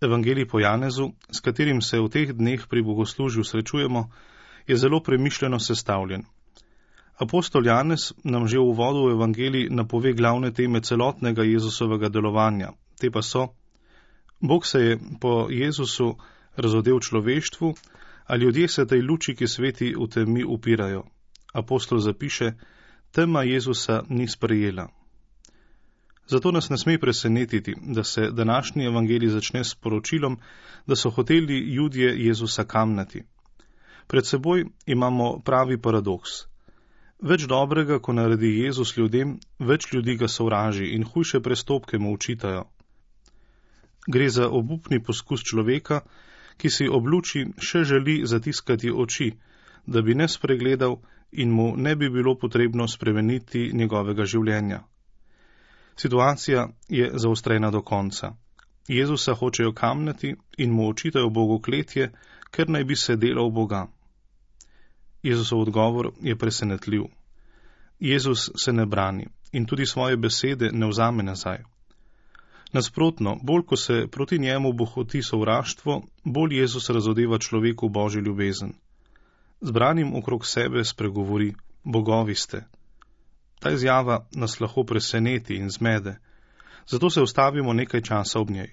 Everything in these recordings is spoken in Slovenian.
Evangelij po Janezu, s katerim se v teh dneh pri bogoslužju srečujemo, je zelo premišljeno sestavljen. Apostol Janez nam že v uvodu v Evangelij napove glavne teme celotnega Jezusovega delovanja. Te pa so: Bog se je po Jezusu razodel človeštvu, a ljudje se tej luči, ki sveti, v temi upirajo. Apostol zapiše: tema Jezusa ni sprejela. Zato nas ne sme presenetiti, da se današnji evangelij začne s poročilom, da so hoteli Judje Jezusa kamnati. Pred seboj imamo pravi paradoks. Več dobrega, ko naredi Jezus ljudem, več ljudi ga sovraži in hujše prestopke mu učitajo. Gre za obupni poskus človeka, ki si ob luči še želi zatiskati oči, da bi ne spregledal in mu ne bi bilo potrebno spremeniti njegovega življenja. Situacija je zaostrena do konca. Jezusa hočejo kamnati in mu očitajo bogokletje, ker naj bi se delal Boga. Jezusov odgovor je presenetljiv. Jezus se ne brani in tudi svoje besede ne vzame nazaj. Nasprotno, bolj ko se proti njemu bohoti sovraštvo, bolj Jezus razodeva človeku Božjo ljubezen. Zbranim okrog sebe spregovori: bogovi ste. Ta izjava nas lahko preseneti in zmede, zato se ustavimo nekaj časa ob njej.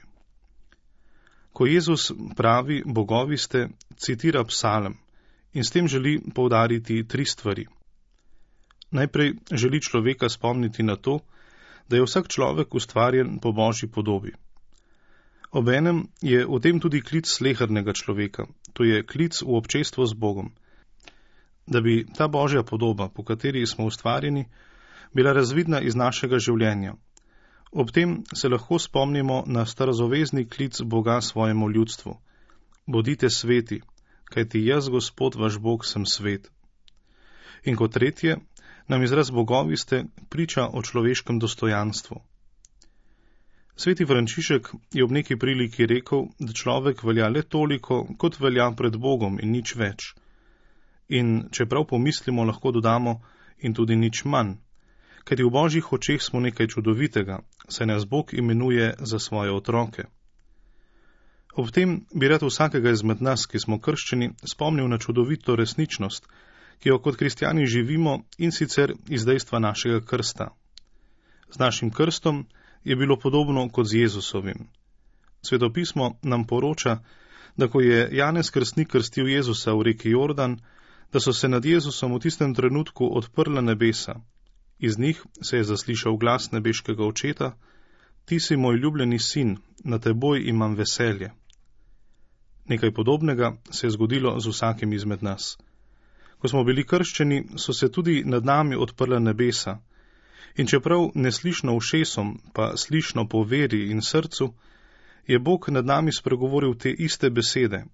Ko Jezus pravi bogovi ste, citira psalm in s tem želi poudariti 3 stvari. Najprej želi človeka spomniti na to, da je vsak človek ustvarjen po Božji podobi. Obenem je v tem tudi klic slehernega človeka, to je klic v občestvo z Bogom. Da bi ta Božja podoba, po kateri smo ustvarjeni, bila razvidna iz našega življenja. Ob tem se lahko spomnimo na starozavezni klic Boga svojemu ljudstvu: bodite sveti, kajti jaz, Gospod vaš Bog, sem svet. In kot tretje, nam izraz bogovi ste priča o človeškem dostojanstvu. Sveti Frančišek je ob neki priliki rekel, da človek velja le toliko, kot velja pred Bogom in nič več. In če prav pomislimo, lahko dodamo in tudi nič manj, kajti v Božjih očeh smo nekaj čudovitega, saj nas Bog imenuje za svoje otroke. Ob tem bi rad vsakega izmed nas, ki smo krščeni, spomnil na čudovito resničnost, ki jo kot kristjani živimo, in sicer iz dejstva našega krsta. Z našim krstom je bilo podobno kot z Jezusovim. Svetopismo nam poroča, da ko je Janez Krstnik krstil Jezusa v reki Jordan, da so se nad Jezusom v tistem trenutku odprla nebesa. Iz njih se je zaslišal glas nebeškega očeta: ti si moj ljubljeni sin, na teboj imam veselje. Nekaj podobnega se je zgodilo z vsakim izmed nas. Ko smo bili krščeni, so se tudi nad nami odprla nebesa. In čeprav neslišno ušesom, pa slišno po veri in srcu, je Bog nad nami spregovoril te iste besede: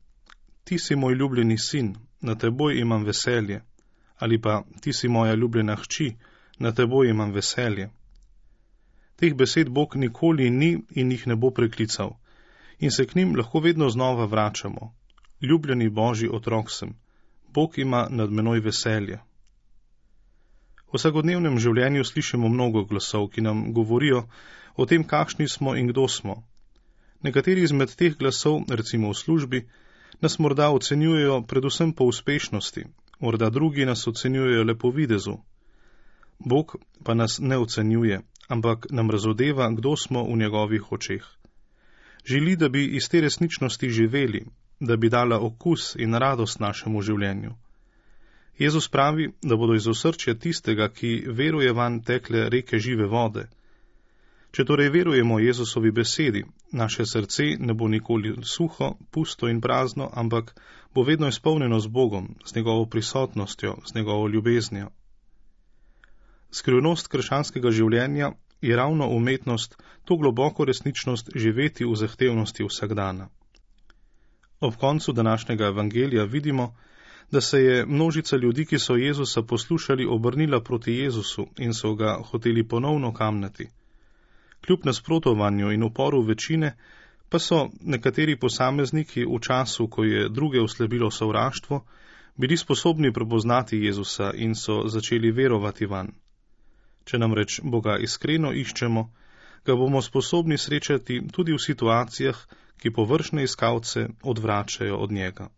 ti si moj ljubljeni sin, na teboj imam veselje. Ali pa: ti si moja ljubljena hči, na teboj imam veselje. Teh besed Bog nikoli ni in jih ne bo preklical, in se k njim lahko vedno znova vračamo. Ljubljeni Božji otrok sem, Bog ima nad menoj veselje. V vsakodnevnem življenju slišimo mnogo glasov, ki nam govorijo o tem, kakšni smo in kdo smo. Nekateri izmed teh glasov, recimo v službi, nas morda ocenjujejo predvsem po uspešnosti, morda drugi nas ocenjujejo le po videzu. Bog pa nas ne ocenjuje, ampak nam razodeva, kdo smo v njegovih očeh. Želi, da bi iz te resničnosti živeli, da bi dala okus in radost našemu življenju. Jezus pravi, da bodo iz osrčja tistega, ki veruje vanj, tekle reke žive vode. Če torej verujemo Jezusovi besedi, naše srce ne bo nikoli suho, pusto in prazno, ampak bo vedno izpolnjeno z Bogom, z njegovo prisotnostjo, z njegovo ljubeznijo. Skrivnost krščanskega življenja je ravno umetnost, to globoko resničnost živeti v zahtevnosti vsakdana. Ob koncu današnjega evangelija vidimo, da se je množica ljudi, ki so Jezusa poslušali, obrnila proti Jezusu in so ga hoteli ponovno kamnati. Kljub nasprotovanju in uporu večine, pa so nekateri posamezniki v času, ko je druge oslabilo sovraštvo, bili sposobni prepoznati Jezusa in so začeli verovati vanj. Če namreč Boga iskreno iščemo, ga bomo sposobni srečati tudi v situacijah, ki površne iskalce odvračajo od njega.